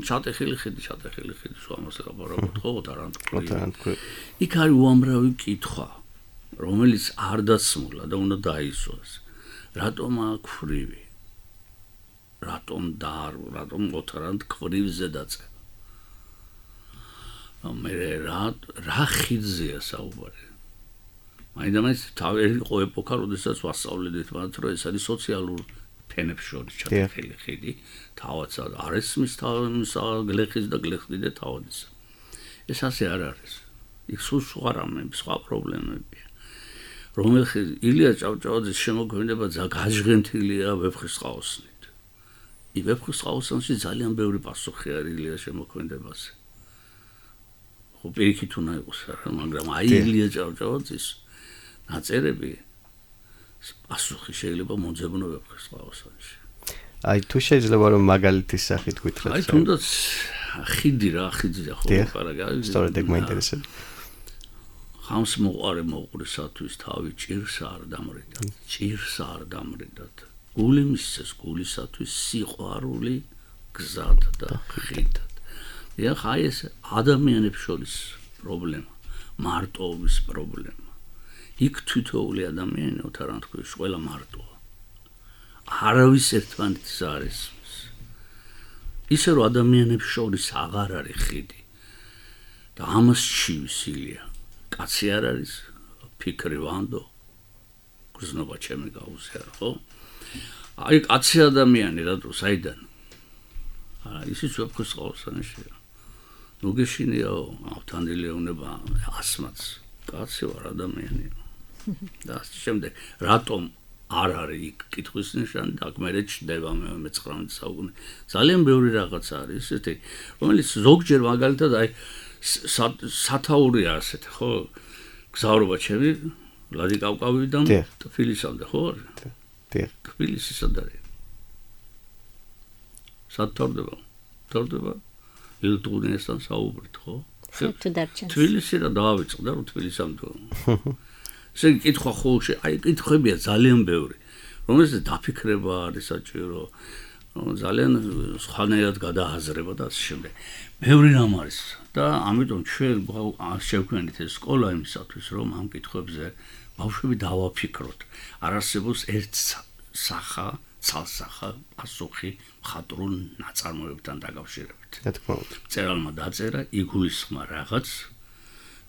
ჩატეხილი ხიდი ჩატეხილი ხიდი ამას ლაპარაკობთ ხო თარანტკვი. იქ არის უამრავი კითხვა რომელიც არ დაცმულა და უნდა დაისვას. რატომ აქ რატომ და რატომ ოთარანტ კვრივზე დაწერა. მე რა რა ხიძია საუბარი. მაინდამაინც თავი იყო ეპოქა, როდესაც ვასწავლედით მათ, რომ ეს არის სოციალურ ფენებს შორის ჩატეხილი ხიდი, თავადსა არ ესმის თავისა გლეხის და გლეხდიდე თავადისა. ეს ასე არ არის. იქ სულ სხვა რამები, სხვა პრობლემებია. რომელიც ილია ჭავჭავაძის შემოქმედება გაჟღენთილია ვეფხისტყაოსნით. ი ვეფხისტყაოსნში ძალიან ბევრი პასუხი არის ილიას შემოქმედებაზე. ხო პირიქით უნდა იყოს რა, მაგრამ აი ილია ჭავჭავაძის ნაწერები პასუხი შეიძლება მოძებნო ვეფხისტყაოსნში. აი თუ შეიძლება რომ მაგალითის სახით გითხრათ. აი თუნდაც ხიდი რა, ხიდია ხო პარაგა. სწორედ ეგ მაინტერესებს. ხამს მოყარე მოყვრისათვის თავი ჭირს არ დამრიდათ. ჭირს არ დამრიდათ. გული მისცეს გულისათვის სიყვარული გზად და ხიდად. ეხ აი ეს ადამიანებს შორის პრობლემა, მარტოობის პრობლემა. იქ თითოეული ადამიანი ოთარანტკვის ყველა მარტოა. არავის ერთმანეთს არ ესმის. ისე რომ ადამიანებს შორის აღარ არის ხიდი. და ამას ჩივის ილია. კაცი არ არის, ფიქრი ვანდო. გზნობა ჩემი გაუზიარა, ხო? აი კაცი ადამიანი რატო საიდან? აა ისიც ვეფხისტყაოსანშია. ნუ გეშინიაო, ავთანდილეუნება ასმაც. კაცი ვარ ადამიანია. და შემდეგ რატომ არ არის იქ კითხვის ნიშანი და აქ მერე ჩდება მეცხრამეტე საუკუნე. ძალიან ბევრი რაღაცა არის ესეთი, რომელიც ზოგჯერ მაგალითად აი სათაურია ასეთი, ხო? გზავრობა ჩემი ვლადიკავკავიდან თბილისამდე, ხო? დიახ. თბილისი სად არის? სად თავდება? თავდება ილტუნესთან საუბრით, ხო? თუ დარჩენს. თბილისი რა დავიწყდა რომ თბილისამდე. ესე კითხვა ხო აი კითხვებია ძალიან ბევრი. რომელზეც დაფიქრება არის საჭირო. ძალიან სხვანაირად გადააზრება და ასე შემდეგ. ბევრი რამ არის და ამიტომ ჩვენ შევქმნით ეს სკოლა იმისათვის, რომ ამ კითხვებზე ბავშვები დავაფიქროთ. არ არსებობს ერთ სახა, ცალსახა პასუხი მხატვრულ ნაწარმოებებთან დაკავშირებით. რა თქმა უნდა. მწერალმა დაწერა, იგულისხმა რაღაც,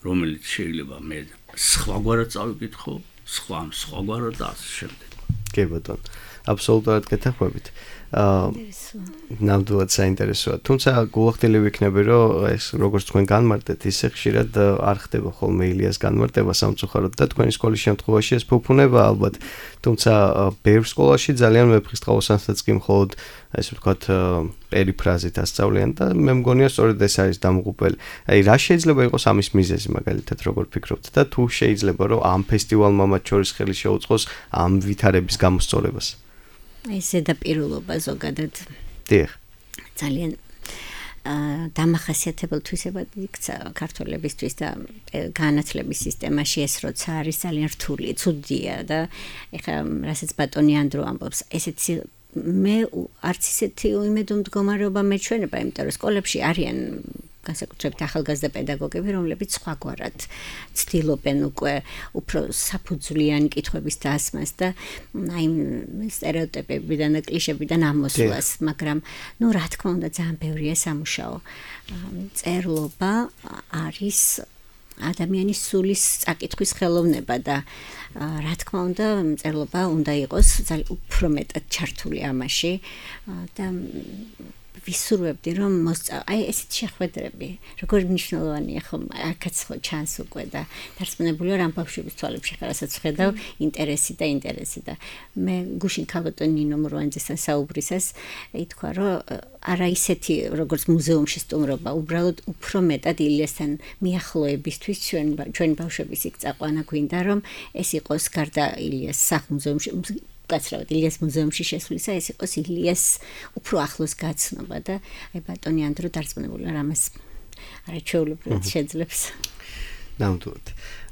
რომელიც შეიძლება მე სხვაგვარად წავიკითხო, სხვა სხვაგვარად და ასე შემდეგ. კი ბატონო, აბსოლუტურად გეთანხმებით. აა ნამდვილად საინტერესოა. თუმცა გულახდილი ვიქნები, რომ ეს როგორც თქვენ განმარტეთ, ისე ხშირად არ ხდება ხოლმე ილიას განმარტება სამწუხაროდ და თქვენი სკოლის შემთხვევაში ეს ფუფუნება ალბათ. თუმცა ბევრ სკოლაში ძალიან ვეფხისტყაოსანსაც კი მხოლოდ ესე ვთქვათ პერიფრაზით ასწავლიან და მე მგონია სწორედ ეს არის დამღუპელი. აი რა შეიძლება იყოს ამის მიზეზი მაგალითად როგორ ფიქრობთ და თუ შეიძლება რომ ამ ფესტივალმა მათ შორის ხელი შეუწყოს ამ ვითარების გამოსწორებას. ეს ზედაპირულობა ზოგადად დიახ ძალიან დამახასიათებელ თვისებად იქცა ქართველებისთვის და განათლების სისტემაში ეს როცა არის ძალიან რთული, ცუდია და ეხლა რასაც ბატონი ანდრო ამბობს, ესეთი მე არც ისეთი იმედო მდგომარეობა მეჩვენება, იმიტომ რომ სკოლებში არიან განსაკუთრებით ახალგაზრდა პედაგოგები, რომლებიც სხვაგვარად ცდილობენ უკვე უფრო საფუძვლიანი კითხვების დასმას და აი სტერეოტიპებიდან და კლიშებიდან ამოსვლას, მაგრამ ნუ რა თქმა უნდა ძალიან ბევრია სამუშაო. წერლობა არის ადამიანის სულის წაკითხვის ხელოვნება და რა თქმა უნდა წერლობა უნდა იყოს ძალიან უფრო მეტად ჩართული ამაში და ვისურვებდი რომ მოსწავლე აი ესეთ შეხვედრები როგორ მნიშვნელოვანია ხომ აქაც ხო ჩანს უკვე და დარწმუნებული ვარ ამ ბავშვების თვალებში ხარასაც ხედავ ინტერესი და ინტერესი და მე გუშინ ქალბატონ ნინო მურვანიძესთან საუბრისას ითქვა რომ არა ისეთი როგორც მუზეუმში სტუმრობა უბრალოდ უფრო მეტად ილიასთან მიახლოებისთვის ჩვენ ჩვენი ბავშვების იქ წაყვანა გვინდა რომ ეს იყოს გარდა ილიას სახლ-მუზეუმში გაცრავად ილიას მუზეუმში შესვლისა ეს იყოს ილიას უფრო ახლოს გაცნობა და აი ბატონი ანდრო დარწმუნებული ვარ ამას არაჩვეულებრივად შეძლებს. ნამდვილად.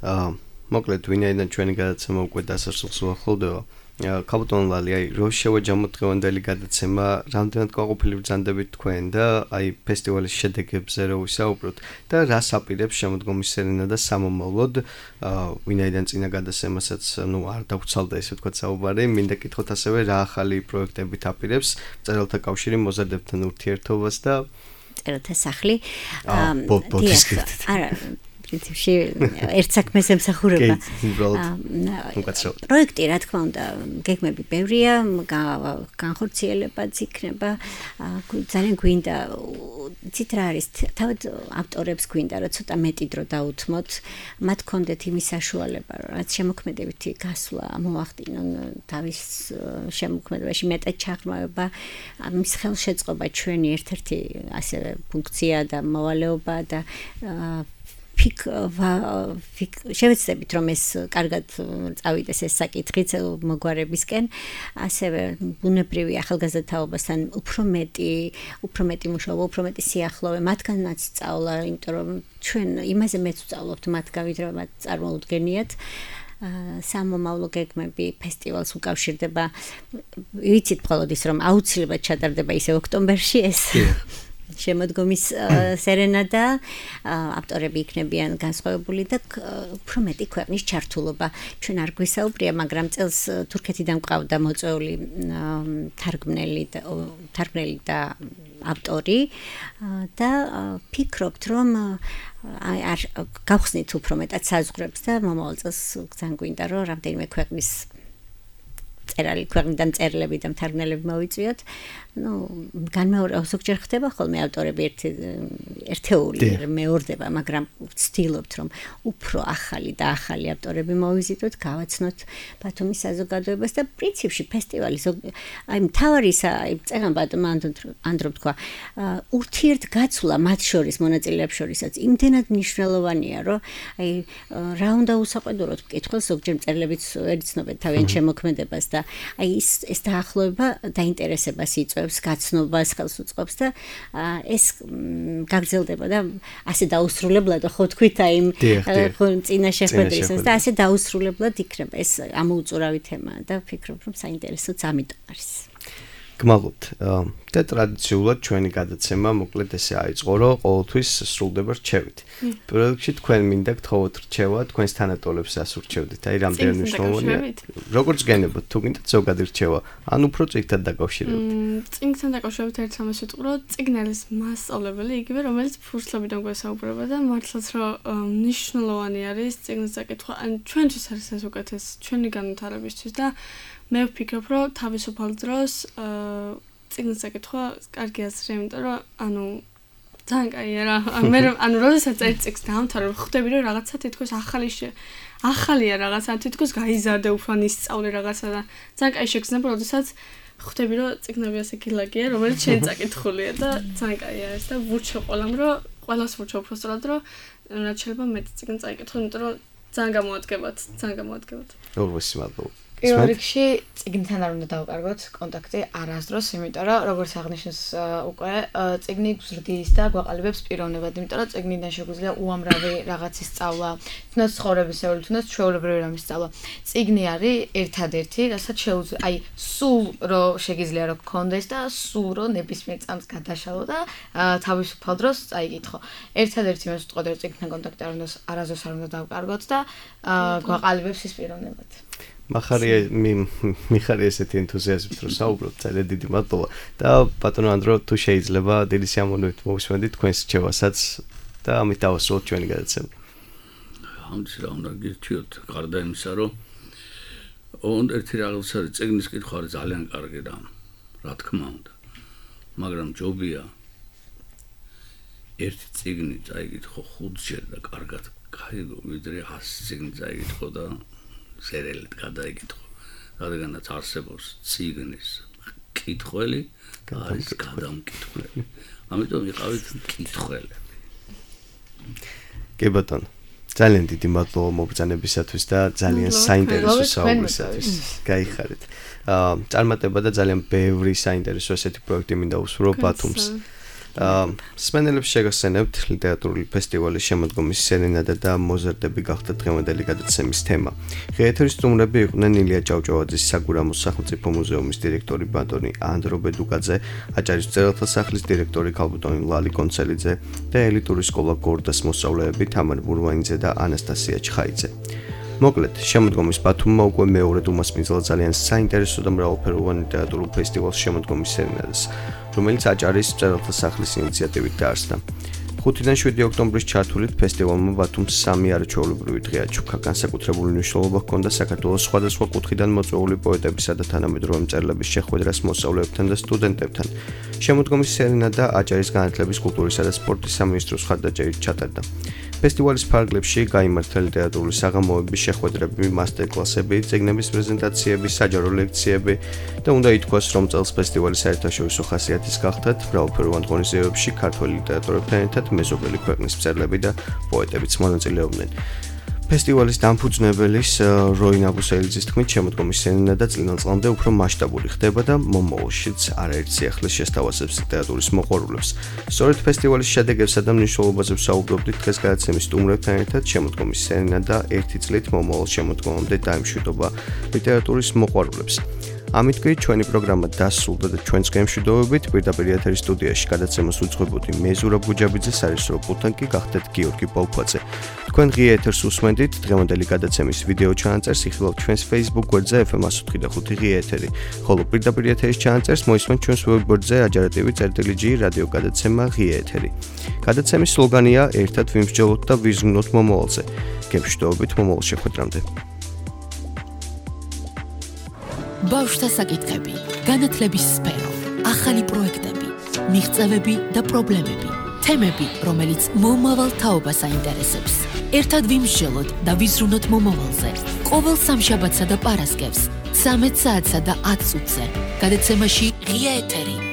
აა მოკლედ ვინაიდან ჩვენი გადაცემა უკვე დასასრულს უახლოვდება ქალბატონ ლალი, აი რო შევაჯამოთ დღევანდელი გადაცემა, რამდენად გაყოფილი ბრძანდებით თქვენ და აი ფესტივალის შედეგებზე რო ვისაუბროთ და რას აპირებს შემოდგომის სერენა და სამომავლოდ, ვინაიდან წინა გადაცემასაც ნუ არ დავცალდა ესე ვთქვათ საუბარი, მინდა კითხოთ ასევე რა ახალი პროექტებით აპირებს მწერალთა კავშირი მოზარდებთან ურთიერთობას და მწერალთა სახლი. აა არა პრინციპში ერთ საქმეს ემსახურება. პროექტი რა თქმა უნდა გეგმები ბევრია, განხორციელებაც იქნება. ძალიან გვინდა ცით რა არის, თავად ავტორებს გვინდა რომ ცოტა მეტი დრო დაუთმოთ, მათ კონდეთ იმის საშუალება, რაც შემოქმედებითი გასვლა მოახდინონ თავის შემოქმედებაში მეტად ჩაღრმავება, ამის ხელშეწყობა ჩვენი ერთ-ერთი ასევე ფუნქცია და მოვალეობა და ფიქ შევეცდებით რომ ეს კარგად წავიდეს ეს საკითხიც მოგვარებისკენ ასევე ბუნებრივი ახალგაზრდაობასთან უფრო მეტი უფრო მეტი მუშაობა უფრო მეტი სიახლოვე მათგანაც სწავლა იმიტომ რომ ჩვენ იმაზე მეც ვსწავლობთ მათგან ვიდრე მათ წარმოუდგენიათ სამომავლო გეგმები ფესტივალს უკავშირდება ვიცით მხოლოდ ის რომ აუცილებლად ჩატარდება ისე ოქტომბერში ეს შემოდგომის სერენა და ავტორები იქნებიან განსხვავებული და უფრო მეტი ქვეყნის ჩართულობა. ჩვენ არ გვისაუბრია, მაგრამ წელს თურქეთიდან ყავდა მოწვეული თარგმნელი და თარგმნელი და ავტორი და ფიქრობთ, რომ აი არ გავხსნით უფრო მეტად საზღვრებს და მომავალ წელს ძალიან გვინდა რომ რამდენიმე ქვეყნის წერალი ქვეყნიდან წერილები და მთარგმნელები მოვიწვიოთ. ნუ განმეორება ზოგჯერ ხდება ხოლმე ავტორები ერთი ერთეული მეორდება, მაგრამ ვცდილობთ რომ უფრო ახალი და ახალი ავტორები მოვიზიდოთ, გავაცნოთ ბათუმის საზოგადოებას და პრინციპში ფესტივალი აი მთავარისა აი წერან ბატონმა ანდრო თქვა ურთიერთგაცვლა მათ შორის მონაწილეებს შორისაც იმდენად მნიშვნელოვანია, რომ აი რა უნდა უსაყვედუროთ მკითხველს ზოგჯერ წერილებიც ერიცნობენ თავიანთ შემოქმედებას და აი ეს ეს დაახლოება დაინტერესებას იწვევს გაცნობას ხელს უწყობს და ეს გაგრძელდება და ასე დაუსრულებლად ხო თქვით აი წინა შეხვედრისას და ასე დაუსრულებლად იქნება ეს ამოუწურავი თემაა და ვფიქრობ რომ საინტერესოც ამიტომ არის. გმალობთ. და ტრადიციულად ჩვენი გადაცემა მოკლედ ესე აიწყო, რომ ყოველთვის სრულდება რჩევით. პირველ რიგში თქვენ მინდა გთხოვოთ რჩევა, თქვენს თანატოლებს ასურჩევდით. აი რამდენი მნიშვნელოვანია. როგორც გენებოთ, თუ გინდათ ზოგადი რჩევა, ან უფრო წიგნთან დაკავშირებით. წიგნთან დაკავშირებით ერთ სამას ვიტყვი, რომ წიგნი არის მასწავლებელი, იგივე რომელიც ფურცლებიდან გვესაუბრება და მართლაც რომ მნიშვნელოვანი არის წიგნის დაკითხვა. ან ჩვენთვის არის ეს უკეთესი ჩვენი განვითარებისთვის და მე ვფიქრობ, რომ თავისუფალ დროს წიგნის დაკითხვა კარგი აზრია, იმიტომ რომ ანუ ძალიან კაია რა. მე ანუ როდესაც წერ წიგნს დავამთავრებ, ხვდები რომ რაღაცა თითქოს ახალი ახალია რაღაცა, თითქოს გაიზარდე უფრო ისწავლე რაღაცა და ძალიან კაი შეგრძნება, როდესაც ხვდები რომ წიგნები ასე გილაგია, რომელიც შენ წაკითხულია და ძალიან კაია ეს და ვურჩევ ყველამ, რომ ყველას ვურჩევ უბრალოდ რომ რაც შეიძლება მეტი წიგნი წაიკითხო, იმიტომ რომ ძალიან გამოადგებათ, ძალიან გამოადგებათ. როგორც მადლობა. პირველ რიგში წიგნთან არ უნდა დავკარგოთ კონტაქტი არასდროს, იმიტომ რომ როგორც აღნიშნეს უკვე წიგნი გზრდის და გვაყალიბებს პიროვნებად, იმიტომ რომ წიგნიდან შეგვიძლია უამრავი რაღაცის სწავლა, თუნდაც ცხოვრებისეული, თუნდაც ჩვეულებრივი რამის სწავლა. წიგნი არის ერთადერთი, რასაც შეუძლია, აი სულ რომ შეგიძლია რომ გქონდეს და სულ რომ ნებისმიერ წამს გადაშალო და თავისუფალ დროს წაიკითხო. ერთადერთი მე ვიტყოდი რომ წიგნთან კონტაქტი არ უნდა არასდროს არ უნდა დავკარგოთ და გვაყალიბებს ის პიროვნებად. მახარია მიხარია ესეთი ენთუზიაზმით რომ საუბრობთ, ძალიან დიდი მადლობა და ბატონო ანდრო თუ შეიძლება დიდი სიამოვნებით მოვისმენთ თქვენს რჩევასაც და ამით დავასრულოთ ჩვენი გადაცემა. ამის რა უნდა გირჩიოთ, გარდა იმისა რომ ოღონდ ერთი რაღაც არის წიგნის კითხვა არის ძალიან კარგი რამ, რა თქმა უნდა, მაგრამ ჯობია ერთი წიგნი წაიკითხო ხუთჯერ და კარგად გაიგო, ვიდრე ასი წიგნი წაიკითხო და სერელით გადაიკითხო. რადგანაც არსებობს წიგნის კითხველი და არის გადამკითხველი. ამიტომ იყავით მკითხველები. კი ბატონო, ძალიან დიდი მადლობა მობრძანებისათვის და ძალიან საინტერესო საუბრისათვის. გაიხარეთ. აა წარმატება და ძალიან ბევრი საინტერესო ესეთი პროექტი მინდა უსვრო ბათუმს. აა სპენელებს შეგახსენებთ ლიტერატურული ფესტივალის შემოდგომის სერენადა და მოზარდები გახდა დღევანდელი გადაცემის თემა. ღია ეთერის სტუმრები იყვნენ ილია ჭავჭავაძის საგურამოს სახელმწიფო მუზეუმის დირექტორი ბატონი ანდრო ბედუკაძე, აჭარის მწერალთა სახლის დირექტორი ქალბატონი ლალი კონცელიძე და ელიტური სკოლა გორდას მოსწავლეები თამარ ბურვაინიძე და ანასტასია ჩხაიძე. მოკლედ, შემოდგომის ბათუმმა უკვე მეორედ უმასპინძლა ძალიან საინტერესო და მრავალფეროვან ლიტერატურულ ფესტივალს შემოდგომის სერენადას, რომელიც აჭარის მწერალთა სახლის ინიციატივით დაარსდა. ხუთიდან შვიდი ოქტომბრის ჩართულით ფესტივალმა ბათუმს სამი არაჩვეულებრივი დღე აჩუქა. განსაკუთრებული მნიშვნელობა ჰქონდა საქართველოს სხვადასხვა კუთხიდან მოწვეული პოეტებისა და თანამედროვე მწერლების შეხვედრას მოსწავლეებთან და სტუდენტებთან. შემოდგომის სერენადა აჭარის განათლების, კულტურისა და სპორტის სამინისტროს მხარდაჭერით ჩატარდა. ფესტივალის ფარგლებში გაიმართა ლიტერატურული საღამოები, შეხვედრები, მასტერკლასები, წიგნების პრეზენტაციები, საჯარო ლექციები და უნდა ითქვას, რომ წელს ფესტივალი საერთაშორისო ხასიათის გახდათ, მრავალფეროვან ღონისძიებებში ქართველი ლიტერატორებთან ერთად მეზობელი ქვეყნის მწერლები და პოეტებიც მონაწილეობდნენ. ფესტივალის დამფუძნებელის როინ აბუსელიძის თქმით, შემოდგომის სერენადა წლიდან წლამდე უფრო მასშტაბური ხდება და მომავალშიც არაერთ სიახლის შესთავაზებს ლიტერატურის მოყვარულებს. სწორედ ფესტივალის შედეგებსა და მნიშვნელობაზე ვსაუბრობდით დღეს გადაცემის სტუმრებთან ერთად. შემოდგომის სერენადა ერთი წლით მომავალ შემოდგომამდე დაემშვიდობა ლიტერატურის მოყვარულებს. ამით კი ჩვენი პროგრამა დასრულდა და ჩვენს გემშვიდობებით პირდაპირ ეთერის სტუდიაში გადაცემას უძღვებოდი მე ზურაბ გუჯაბიძე, სარესურო პულტთან კი გახდეთ გიორგი ბოლქვაძე. თქვენ ღია ეთერს უსმენდით, დღევანდელი გადაცემის ვიდეო ჩანაწერს იხილავთ ჩვენს Facebook გვერდზე ეფ ემ one oh five point five ღია ეთერი, ხოლო პირდაპირ ეთერის ჩანაწერს მოისმენთ ჩვენს ვებ გვერდზე აჯარა.tv წერტილი ჯი რადიო გადაცემა ღია ეთერი. გადაცემის სლოგანია ერთად ვიმსჯელოთ და ვიზრუნოთ მომავალზე. გემშვიდობებით მომავალ შეხვედრამდე. ბავშვთა საკითხები, განათლების სფერო, ახალი პროექტები, მიღწევები და პრობლემები, თემები, რომელიც მომავალ თაობას აინტერესებს. ერთად ვიმსჯელოთ და ვიზრუნოთ მომავალზე. ყოველ სამშაბათსა და პარასკევს, ცამეტ საათსა და ათ წუთზე. გადაცემაში ღია ეთერი.